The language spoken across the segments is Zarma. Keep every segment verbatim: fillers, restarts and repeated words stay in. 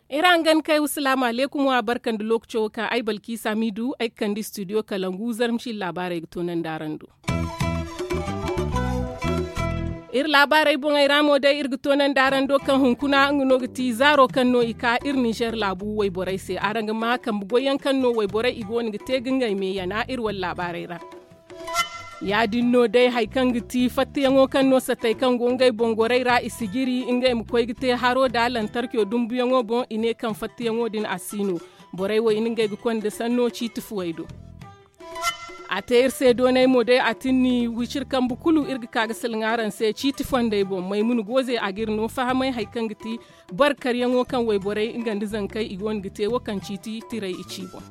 Iri hangan kay wa salaamu aleykum wa barka nda lookaco wo kaŋ ay balkiisa m'i du ay ga kande studio kalangu zarma ciine laabaarey ga toonandi araŋ do. Iri laabaarey boŋey ra mo day iri ga toonandi araŋ do kaŋ hunkuna nga no ga ti zaaro kaŋ no i ka iri ninzeer laabu wayborey se araŋ ga ma kambe goyyaŋ kaŋ no wayborey i go no ga te ga ngey me yana iri wane laabaarey ra. Ya- din no day hari kaŋ ga ti fattayaŋo kaŋ no satey kaŋ go ngey boŋ gorey ra i si jiri ngey ma koy ga te haro nda lantarkiyo dumbuyaŋo boŋ i ne kaŋ fattayaŋo din a si no. Borey wo i na ngey ga konda sanno ciiti fuwey do. A te iri se doonay mo day a tin ni wiciri kambe kulu iri ga ka ga salaŋ araŋ se ciiti fondey boŋ maymuna gooze a ga iri no fahamay hari kaŋ ga ti boro karyaŋo kaŋ wayborey nga nda zankey i go no ga te wo kaŋ ciiti tiray i ci boŋ.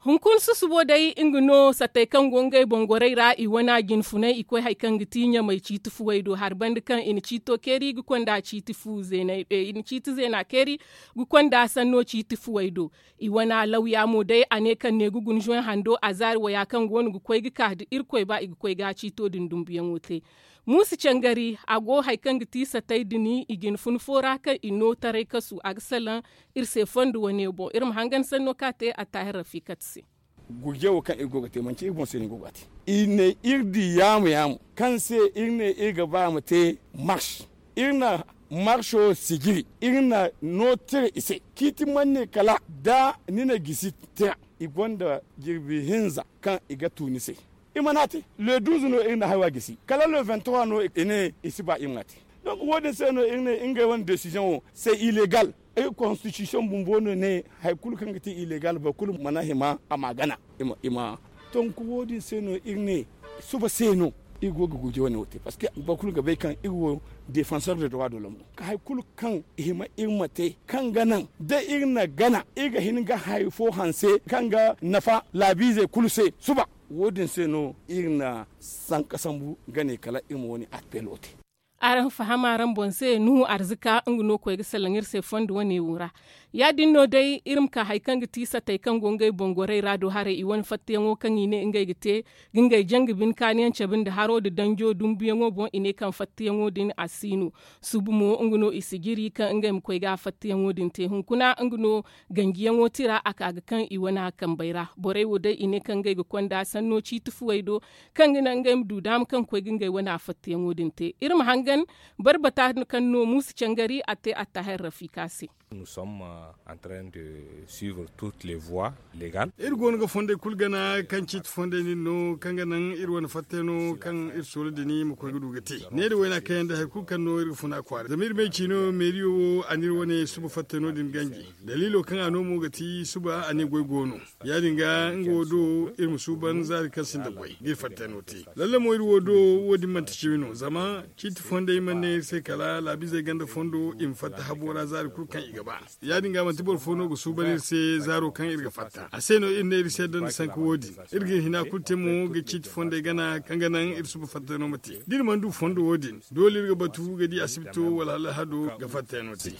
Hunkuna susubo day nga no sattey kaŋ go ngey boŋ gorey ra i wane jinfunay i koy hari kaŋ ga ti ɲamey ciiti fuwey do hari banda kaŋ i na ciito keeri ga konda ciiti fu zeeney i na ciiti zeena keeri ga konda sanno ciiti fuwey do. I wane lawya mo day a ne kaŋ ne ga guna zoy hando a zaari waya kaŋ go no ga koy ga ka nda irkoy ba i ga koy ga ciito din dumbuyaŋo te. Muusa cangari a go hari kaŋ ga ti satey din i jinfun fo ra kaŋ i no taray kasu a ga salaŋ iri se fondo wane boŋ iri ma hangan sanno kaŋ a te a taahir rafikat se. Gurje wo kaŋ iri go ga te manti iri boŋ se no iri go ga a te. I ne iri di yaamu yaamu kaŋ se iri ne iri ga ba ma te mars. Iri na marso sijiri iri na no tira i se ciiti manne kala da ni na gisi tira. I gonda jirbi hinza kaŋ i ga tu ni se. I mana te le duuzu no iri na haya gisi kala le vingt trois no i ne i si ba iri ma te. Donc wo- din se no iri ne ngey wane desiziyoŋo se ilegal. Iri konstitisiyoŋ bumbo no ne hari kulu kaŋ ga te ilegal boro kulu mana hima a ma a gana. I ma tonku wo- din se no iri ne suba se no iri go ga gurje wane wo te parceque boro kulu ga bay kaŋ iri wo defansor de droit de l'homme no ka hari kulu kaŋ i hima iri ma te kaŋ ga naŋ da iri na gana iri ga hin ga hari fo hanse kaŋ ga nafa laabiizey kulu se suba. Wo- din se no iri na sanka sambu ga ne kala iri ma wane appelo te. Araŋ faham araŋ boŋ se nuhu arzika nga no koy ga salaŋ iri se fondo wane wo ra. Ya- din no day iri ma ka hari kaŋ ga ti satey kaŋ go ngey boŋ gorey ra do haray i wane fattayaŋo kaŋ i ne ngey ga te ga ngey janga bine kaaniyaŋ cabe nda haro nda danjo dumbuyaŋo boŋ i ne kaŋ fattayaŋo din a si no. Suba mo nga no i si jiri kaŋ ngey ma koy ga fattayaŋo din te hunkuna nga no ganjiyaŋo tira a ka ga kaŋ i wane kambey ra borey wo day i ne kaŋ ngey ga konda sanno ciiti fuwey do kaŋ ga naŋ ngey ma du daama kaŋ koy ga ngey wane fattayaŋo din te. Iri ma hangan barbata kaŋ no muusa cangari a te attaahir rafika se. Nous sommes en train de suivre toutes les voies légales. Iri go no ga fondey kulu gana kaŋ ciiti fondey din no kaŋ ga naŋ iri wane fattay no kaŋ iri soola din ma koy ga du ga te. Ne da wayna kaŋ yaŋ da hari kulu kaŋ no iri ga funa kwaara zama iri may ciino meeriyo wo a na iri wane suba fattay no din ganji. Daliilo kaŋ a no mo ga ti suba a ne goy go no. Ya- din ga nga wo do iri ma suuban zaari kaŋ sinda goy ga iri fattay no te. Lalle mo iri wo do wo- din manti cimi no zama ciiti fondey mana ne iri se kala laabiizey ganda fondo i ma fatta habo ra zaari kulu kaŋ i ga ba. Ya- din ga manti boro fo no ga suuban iri se zaaro kaŋ iri ga fatta a se no iri ne iri se danda sanka wo- din. Iri ga iri hina kulu te mo ga ciiti fondey gana kaŋ ga naŋ iri suba fatta no ma te da iri mana du fondo wo- din doole iri ga batu ga di asibito wala alhado ga fatta no te.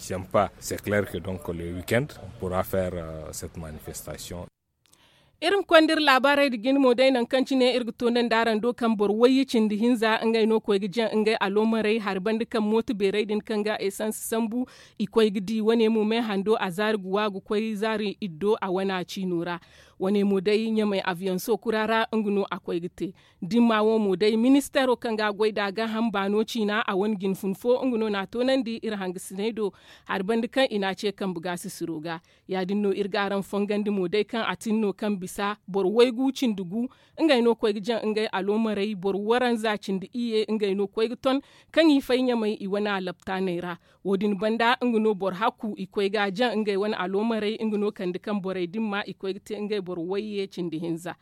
C'est clair que donc le weekend on pourra faire cette manifestation. Iri ma konda iri laabaarey nda jine mo day nangu kaŋ cine iri ga toonandi araŋ do kaŋ boro wayye cindi hinza ngey no koy ga jaŋ ngey aloomarey hari banda kaŋ mooto beerey din kaŋ ga esans sambu. I koy ga di wane mo me hando a zaari ga wa ga koy zaari iddo a wana ciino ra. Wane mo day ɲamey abiyaŋ sookura ra nga no a koy ga te. Dimma wo mo day ministeero kaŋ ga a goy nd'a gaaham baano ciina a wane jinfun fo nga no n'a toonandi iri hangasiney do. Hari banda kaŋ i n'a ce kambe gaasisiro ga. Ya- din no iri ga araŋ fongandi mo day kaŋ a tin no kaŋ bisa boro waygu cindi gu. Ngey no koy ga jaŋ ngey aloomarey boro waranza cindi iyye ngey no koy ga ton kaŋ i fay ɲamey i wane alaptaaney ra. Wo- din banda nga no boro hakku i koy ga a jaŋ ngey wane aloomarey nga no kande kaŋ borey dimma i koy ga te ngey boro wayye cindi hinza.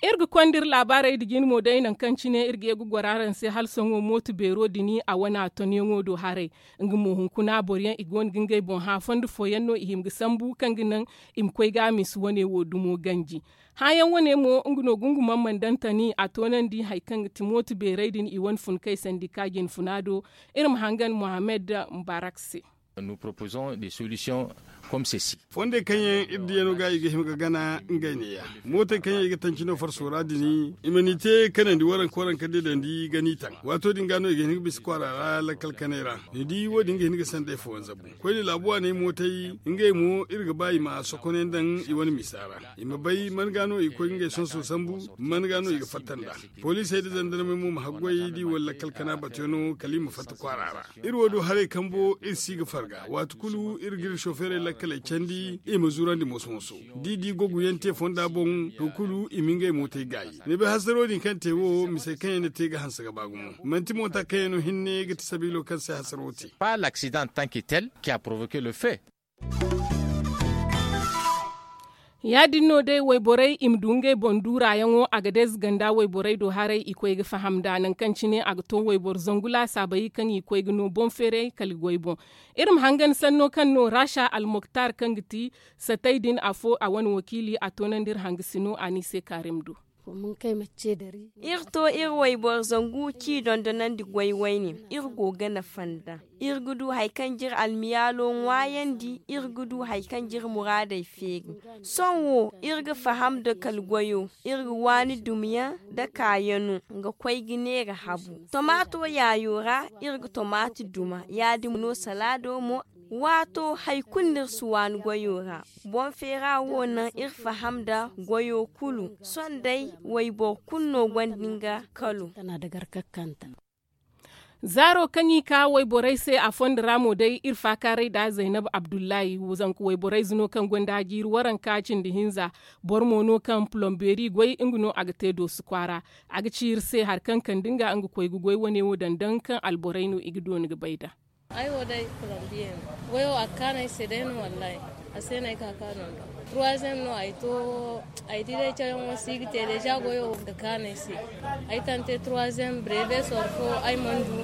Iri ga konda iri laabaarey nda jine mo day nangu kaŋ cine iri ga ye ga goro araŋ se hala sohõ mooto beero din a wana tonyaŋo do haray. Nga mo hunkuna boroyaŋ i go no ga ngey boŋ hã fondo fooyaŋ no i hima ga sambu kaŋ ga naŋ i ma koy ga a misa wane wo dumo ganji. Hãyaŋ wane mo nga no gungumaŋ mana daŋ tani a toonandi hari kaŋ ga ti mooto beerey din i wane fun kay sandika jinfuna do. Iri ma hangan mohammed mubarak se. Nous proposons des solutions comme ceci. Fondey kaŋ yaŋ iri diya no ga i ga hima ga gana ngey neeya. Mootey kaŋ yaŋ i ga tanci no farso ra din, i ma ni te kanandi waranka waranka deedandi ga ni taŋ. Waato din ga no i ga hin ga bisa kwaara ra lakkal kanay ra. Ni di wo- din ga hin ga sanday fooyaŋ zabu. Koyne laabu waaney mootey, ngey mo iri ga ba i ma sokonay daŋ i wane misa ra. I ma bay man ga no i ga koy ga ngey sonso sambu, man ga no i ga fatta nd'a. Poliisey nda zandarmey mo ma haggoy da i wane lakkal kana batuyaŋo kala i ma fatta kwaara ra. Iri wo du haray kambo iri si ga farga waati kulu iri ga iri sofeerey lakkaley candi i ma zurandi moso-moso. Da i di gogu yaŋ te fonda boŋ, to kulu i ma ngey mootey gaayi. Ni bay hasaro din kaŋ te wo misey kaŋ yaŋ ni te ga hanse ga ba gumo. Manti moota kaŋ yaŋ no hinne ga ti sabiilo kaŋ se hasaro te. Pas l'accident en tant que tel qui a provoqué le fait. Ya- din no day wayborey i ma du ngey boŋ duuraayaŋo a ga deeze ganda wayborey do haray i koy ga faham nd'a nangu kaŋ cine a ga to wayboro zangu laasaabey kaŋ i koy ga no boŋ feeray kala goy boŋ. Iri ma hangan sanno kaŋ no raasa almoktar kaŋ ga ti satay din afo a wane wakiili a toonandi iri hanga sino a no i se kaarim do. Iri to iri wayboro zangu k'i dondonandi goy wayne. Iri go ga nafa nd'a. Iri ga du hari kaŋ ga iri almiyaalo ŋwaayandi. Iri ga du hari kaŋ ga iri muraadey feeri. Sohõ wo iri ga faham nda kala goyo. Iri ga waani dumiyaŋ nda kaayano ga koy ga neera habu tomaato yaayo ra. Iri ga tomaati duma ya- din no salaado mo. Waato hari kulu no iri si waani goyo ra. Boŋ feera wo naŋ iri faham nda goyo kulu. Sohõ day wayboro kulu no gonda nga kalo. Zaaro kaŋ i ka wayborey se a fondo ra mo day iri faakaaray nd'a zaynab abdullahi. Zanka wayborey ze no kaŋ gonda jiiri waranka cindi hinza. Boro mo no kaŋ pulombeeri goy nga no a ga te doosu kwaara. A ga ci iri se hari kaŋ kande nga nga koy ga goy wane wo daŋ daŋ kaŋ alborey no i ga dooni ga bay nd'a. Ay wo day pulombiye no. Goyo a ga kaanu ay se day no wallaahi. A se no ay ka kaanu nd'a. Turwaziyem no ay to. Ay di day cawyaŋo si ga te deeza goyo ga kaanu ay se. Ay tante turwaziyem breve soro fo ay mana du.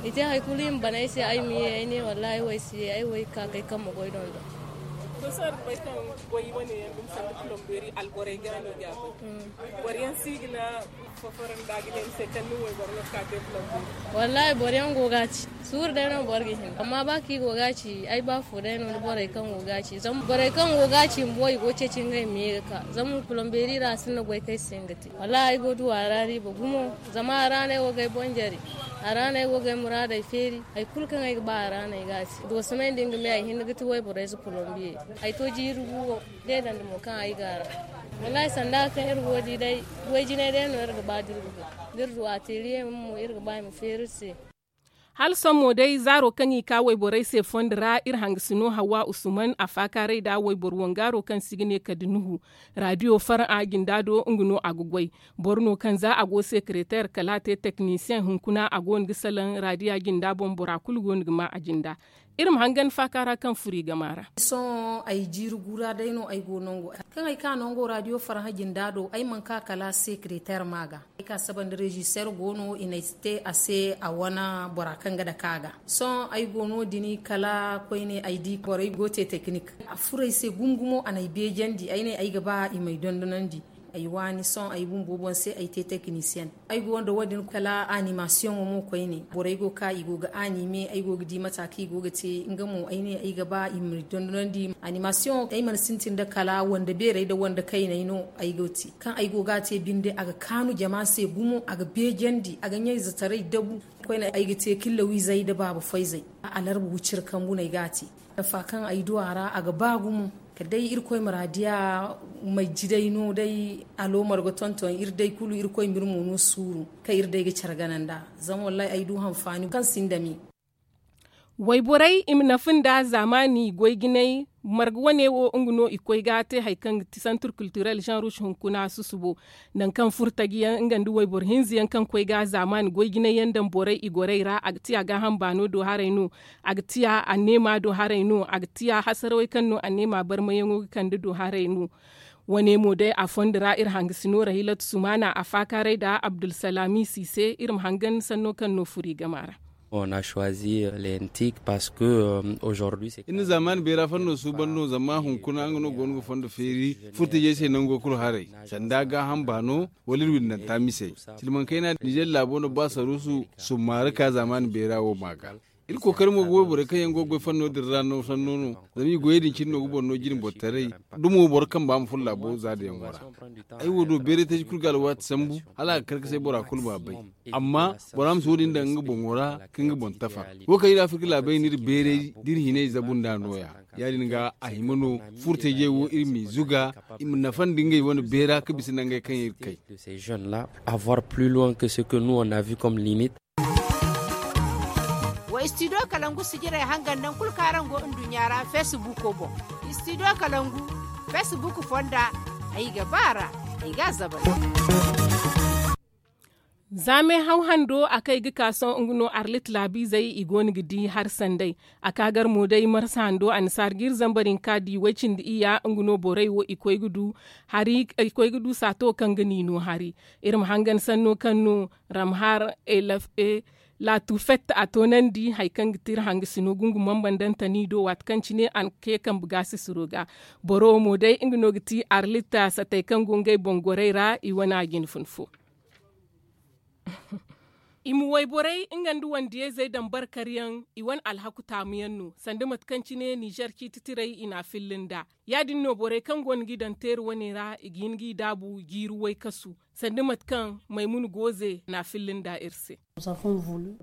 I te hari kulu i ma ban ay se ay ma ye ay ne wallaahi ay wo ay si ye ay wo ay ga ka kay kaŋ ma goy dondo. To sohõ araŋ bay kaŋ goy wane yaŋ dumi sanda pulombeeri alborey ga no ga goy. Boro yaŋ si ga na foforo nda ga ne ni se kaŋ ni wayboro no ga ka te pulombeeri. Wallaahi boro yaŋ go ga a ci. Suuru day no boro ga hin amma ba kaŋ i go ga a ci ay ba fo day no nda borey kaŋ go ga a ci zama borey kaŋ go ga a ci bumbo i go ga ceeci ngey ma ye ga ka zama pulombeeri ra a sinda goy kaŋ ay si hin ga te. Wallaahi ay go ga du a ra riiba gumo. Zama a ra no ay go ga ay boŋ jare. A ra no ay go ga ay muraadey feeri. Hari kulu kaŋ ay ga ba a ra no ay ga a te doosamey nda nga me ay hinne ga ti wayborey ze pulombiye. Ay to jiiri guwo. Deedandi mo kaŋ ay ga a ra. Wallaahi sanda kaŋ iri go ga di day. Way jinay day no iri ga ba da iri ga du a teeriye mo iri ga ba i ma feeri iri se. Hala sohõ mo day zaaro kaŋ i ka wayborey se fondo ra iri hangasino hawa usman a faakaaray nd'a wayboro wangaaro kaŋ se i ga ne kala da nuhu. Raadiyo faraŋ a jinda do nga no a ga goy. Boro no kaŋ za a go sekereteer kala a te teknisiyeŋ hunkuna a go no ga salaŋ raadiya jinda boŋ bora kulu go no ga ma a jinda. Iri ma hangan faaka ra kaŋ furo i gama ra. Sohõ ay jiiri gu ra day no ay go nango kaŋ ay ka nango raadiyo farhã jinda do ay mana ka kala sekereteer ma ga. Ay ka saba nda rezister go no i na ay te a se a wane bora kaŋ ga dake a ga. Sohõ ay go no- din kala koyne ay di borey go te teknik. A furo ay se gumo gumo a na ay beejandi ay ne ay ga ba i m'ay dondonandi. Ay waani sohõ ay bumbo boŋ se ay te teknisiyen. Ay go nda wo- din kala animasiyoŋo mo koyne borey go ga ka i go ga anime ay go ga di mata kaŋ i go ga te nga mo ay ne ay ga ba i m'ay dondonandi. Animasiyoŋo ay mana sintin nda kala wande beerey nda wande kayney no. Ay go ga te kaŋ ay go ga a te binde a ga kaanu jama se gumo a ga beejandi a ga ɲayzetaray dabu. Koyne ay ga te killa wiizey nda baaba fayzey. Alarba wiciri kambu no ay ga a te. Nafa kaŋ ay du a ra a ga ba gumo. Kala day irkoy muraadiya. Majjidey no day aloomar ga tonton iri day kulu irkoy ma iri mo no suuru kaŋ iri day ga care gana nd'a. Zama wallaahi ay du hanfaani kaŋ sinda me. Wayborey i ma nafa nda zaamaani goy jinay. Marga wane wo nga no i koy ga te hari kaŋ ga ti santur kiltirel jean rouge hunkuna susubo. Nangu kaŋ furo taji yaŋ nga nda wayboro hinza yaŋ kaŋ koy ga zaamaani goy jinay yaŋ daŋ borey i gorey ra a ga ti a gaaham baano do haray no. A ga ti a anneema do haray no a ga ti a hasarawey kaŋ no anneema barmayaŋo ga kande do haray no. Wane mo day a fondo ra iri hangasino rahilatu sumaana a faakaaray nda abdulsalami siise iri ma hangan sanno kaŋ no furo i gama ra. Iri na zaamaani beera fanno suuban no zama hunkuna nga no go no ga fondo feeri furtajey se nango kulu haray. Sanda gaaham baano wala iri windanta misey. Silmaŋ kayna nizer laabo no ba saruusu summaari ka zaamaani beera wo ma ga. Iri kookari mo ga wayborey kaŋ yaŋ go ga goy fanno din ra no sanno no. Zama i goyey din cine no ga boro no jine boro taray. Dumo boro kamba ma furo laabo za da yaŋo ra. Ay wo do beeray taji kulu ga alwaati sambu hala a ga kar ga say bora kulu ma bay. Amma bora ma si wo- din daŋ nga boŋo ra ka nga boŋ tafa. Wo kaŋ iri afirka laabey no iri beeray da iri hinay zabu nd'a nooya. Ya- din ga a hima no furtajey wo iri m'i zuga i ma nafa nda ngey wane beera ka bisa nangey kaŋ iri kay. De ces jeunes là, avoir plus loin que ce que nous on a vu comme limite. Wa studio kalangu sijirey hangan naŋ kulu kaŋ araŋ go nduɲɲa ra facebook boŋ. Studio kalangu facebook fonda. Ay ga ba ra. Ay ga a zabal. Za meehaw hando a kay ga ka sohõ nga no arlit laabiizey i go no ga di hari sanday. A ka gar mo day marsa hando annasaara ga iri zambar hinka di way cindi iyya nga no borey wo i koy ga du hari i koy ga du saato kaŋ ga ni no hari. Iri ma hangan sanno kaŋ no ramhar, laatu fett a toonandi hari kaŋ ga ti iri hangasino gungu mambandantani do waati kaŋ cine a na ka ye kambe gaasisiro ga. Boro wo mo day nga no ga ti arlit satey kaŋ go ngey boŋ gorey ra i wane a jine fun fo. I ma wayborey nga nda wandiyayzey daŋ barkaryaŋ. I wane alhaku taamuyaŋ no sanda mate kaŋ cine ninzeer ciiti tirey i n'a filla nd'a. Ya- din no borey kaŋ go no g'i daŋ teeri wane ra i ga hin g'i daabu jiiri waykasu sanda mate kaŋ maymuna gooze n'a filla nd'a iri se.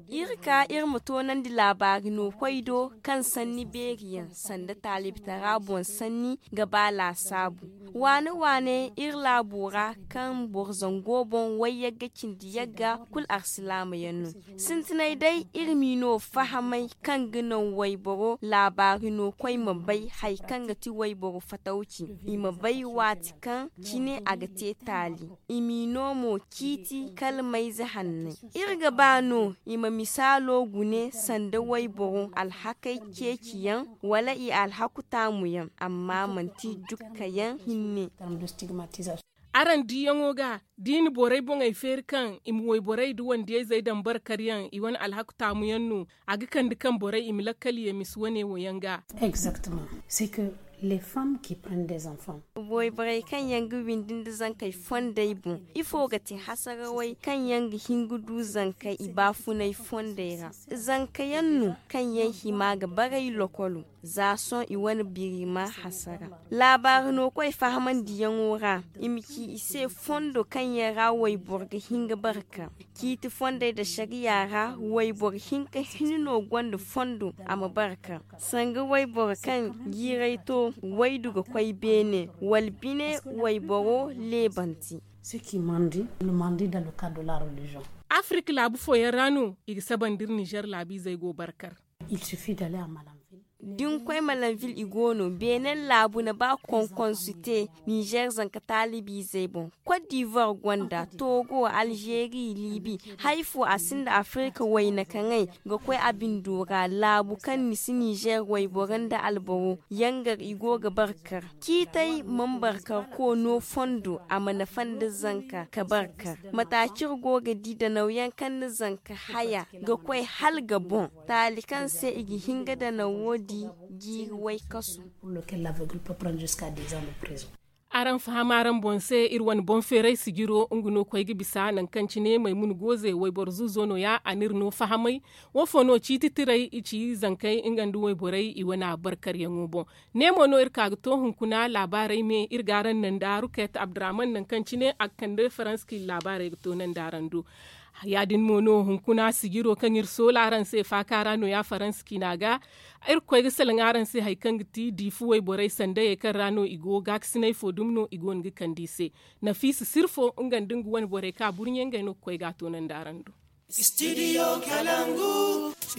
Iri ka iri ma toonandi laabaari no koy do kaŋ sanni beeri yaŋ sanda taalibtara boŋ sanni ga ba laasaabu. Waane waane iri laabo ra kaŋ boro zango boŋ wayyagga cindi yagga kulu alsilaama yaŋ no. Sintinay day iri m'i no fahamay kaŋ ga naŋ wayboro laabaari no koy ma bay hari kaŋ ga ti wayboro fatawci. I ma bay waati kaŋ cine a ga te taali. I m'i no mo ciiti kala mayze hanney. Iri ga ba no i ma misaalo gune sanda wayboro alhakey ceeciyaŋ wala i alhaku taamuyaŋ amma manti dukkayaŋ hinne. Araŋ diyaŋo ga da i na borey boŋey feeri kaŋ i ma wayborey nda wandiyayzey daŋ barkaryaŋ i wane alhaku taamuyaŋ no. A ga kande kaŋ borey i ma lakkal ye misa wane wo yaŋ ga. Exactement. C'est que les femmes qui prennent des enfants. Wayborey kaŋ yaŋ ga windi nda zankey fondey boŋ ifo ga te hasarawey kaŋ yaŋ ga hin ga du zankey i baafunay fondey ra? Zanka yaŋ no kaŋ yaŋ hima ga baray lokolo. Za sohõ i wane birima hasara. Laabaari no koy fahamandiyaŋo ra i ma ci i se fondo kaŋ yaŋ ra wayboro ga hin ga barka. Ciiti fondey nda sariya ra wayboro hinka hinne no gonda fondo a ma barka. Sanga wayboro kaŋ jiiray to waydu ga koy beene wala bine wayboro leebanti. Afirka laabu fooyaŋ ra no i ga sabandi iri nizer laabiizey go barkar. Da ni koy malanvil i go no beenen laabu na ba konkonsu te nizer zanka taalibiizey boŋ. Kot divuwar gonda togo alzeeri liibi. Hari fo a sinda afirka wayna kaŋay ga koy a bindo ra laabu kaŋ ni si nizer wayboro nda alboro yangar i go ga barkar. Ciitey mana barkar koono fondo a ma nafa nda zanka ka barkar. Mate kaŋ iri go ga di danawyaŋ kaŋ ni zanka haya ga koy hala ga boŋ. Taali kaŋ se i ga hin ga danawo di jiiri waykasu. Araŋ faham araŋ boŋ se iri wane boŋ feeray sijiro nga no koy ga bisa nangu kaŋ cine maymuna gooze wayboro zuuzo nooya a n'iri no fahamay. Woofo no ciiti tiray i ci zankey nga nda wayborey i wane a barkaryaŋo boŋ. Ne mo no iri ka ga to hunkuna laabaarey me iri ga araŋ naŋ da ruket abdurrahman nangu kaŋ cine a ga kande faranski laabaarey ga to naŋ da araŋ do. Ya- din mo no hunkuna sijiro kaŋ iri soola araŋ se faaka ra nooya faransa ciina ga. Iri ga koy ga salaŋ araŋ se hari kaŋ ga ti diifi wayborey sandayey kaŋ ra no i go gaakasinay fo dumi no i go no ga kande i se. Nafiisa sirfo nga nda nga wane borey ka burɲe ngey no ga koy ga a toonandi araŋ do.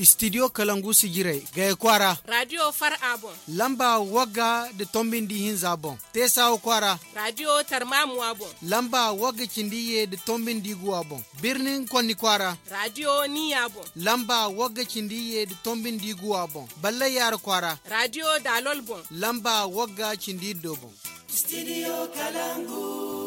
Studio kalangu sijirey gaya kwaara. Radiyo far a boŋ. Lamba wagga nda tombi nda ihinza boŋ. Teesawa kwaara. Radiyo tarmamuwa boŋ. Lamba wagga cindi iyye nda tombi nda iguwa boŋ. Birnin konni kwaara. Radiyo niya boŋ. Lamba wagga cindi iyye nda tombi nda iguwa boŋ. Ballay yaara kwaara. Radiyo daalol boŋ. Lamba wagga cindi iddo boŋ. Studio kalangu.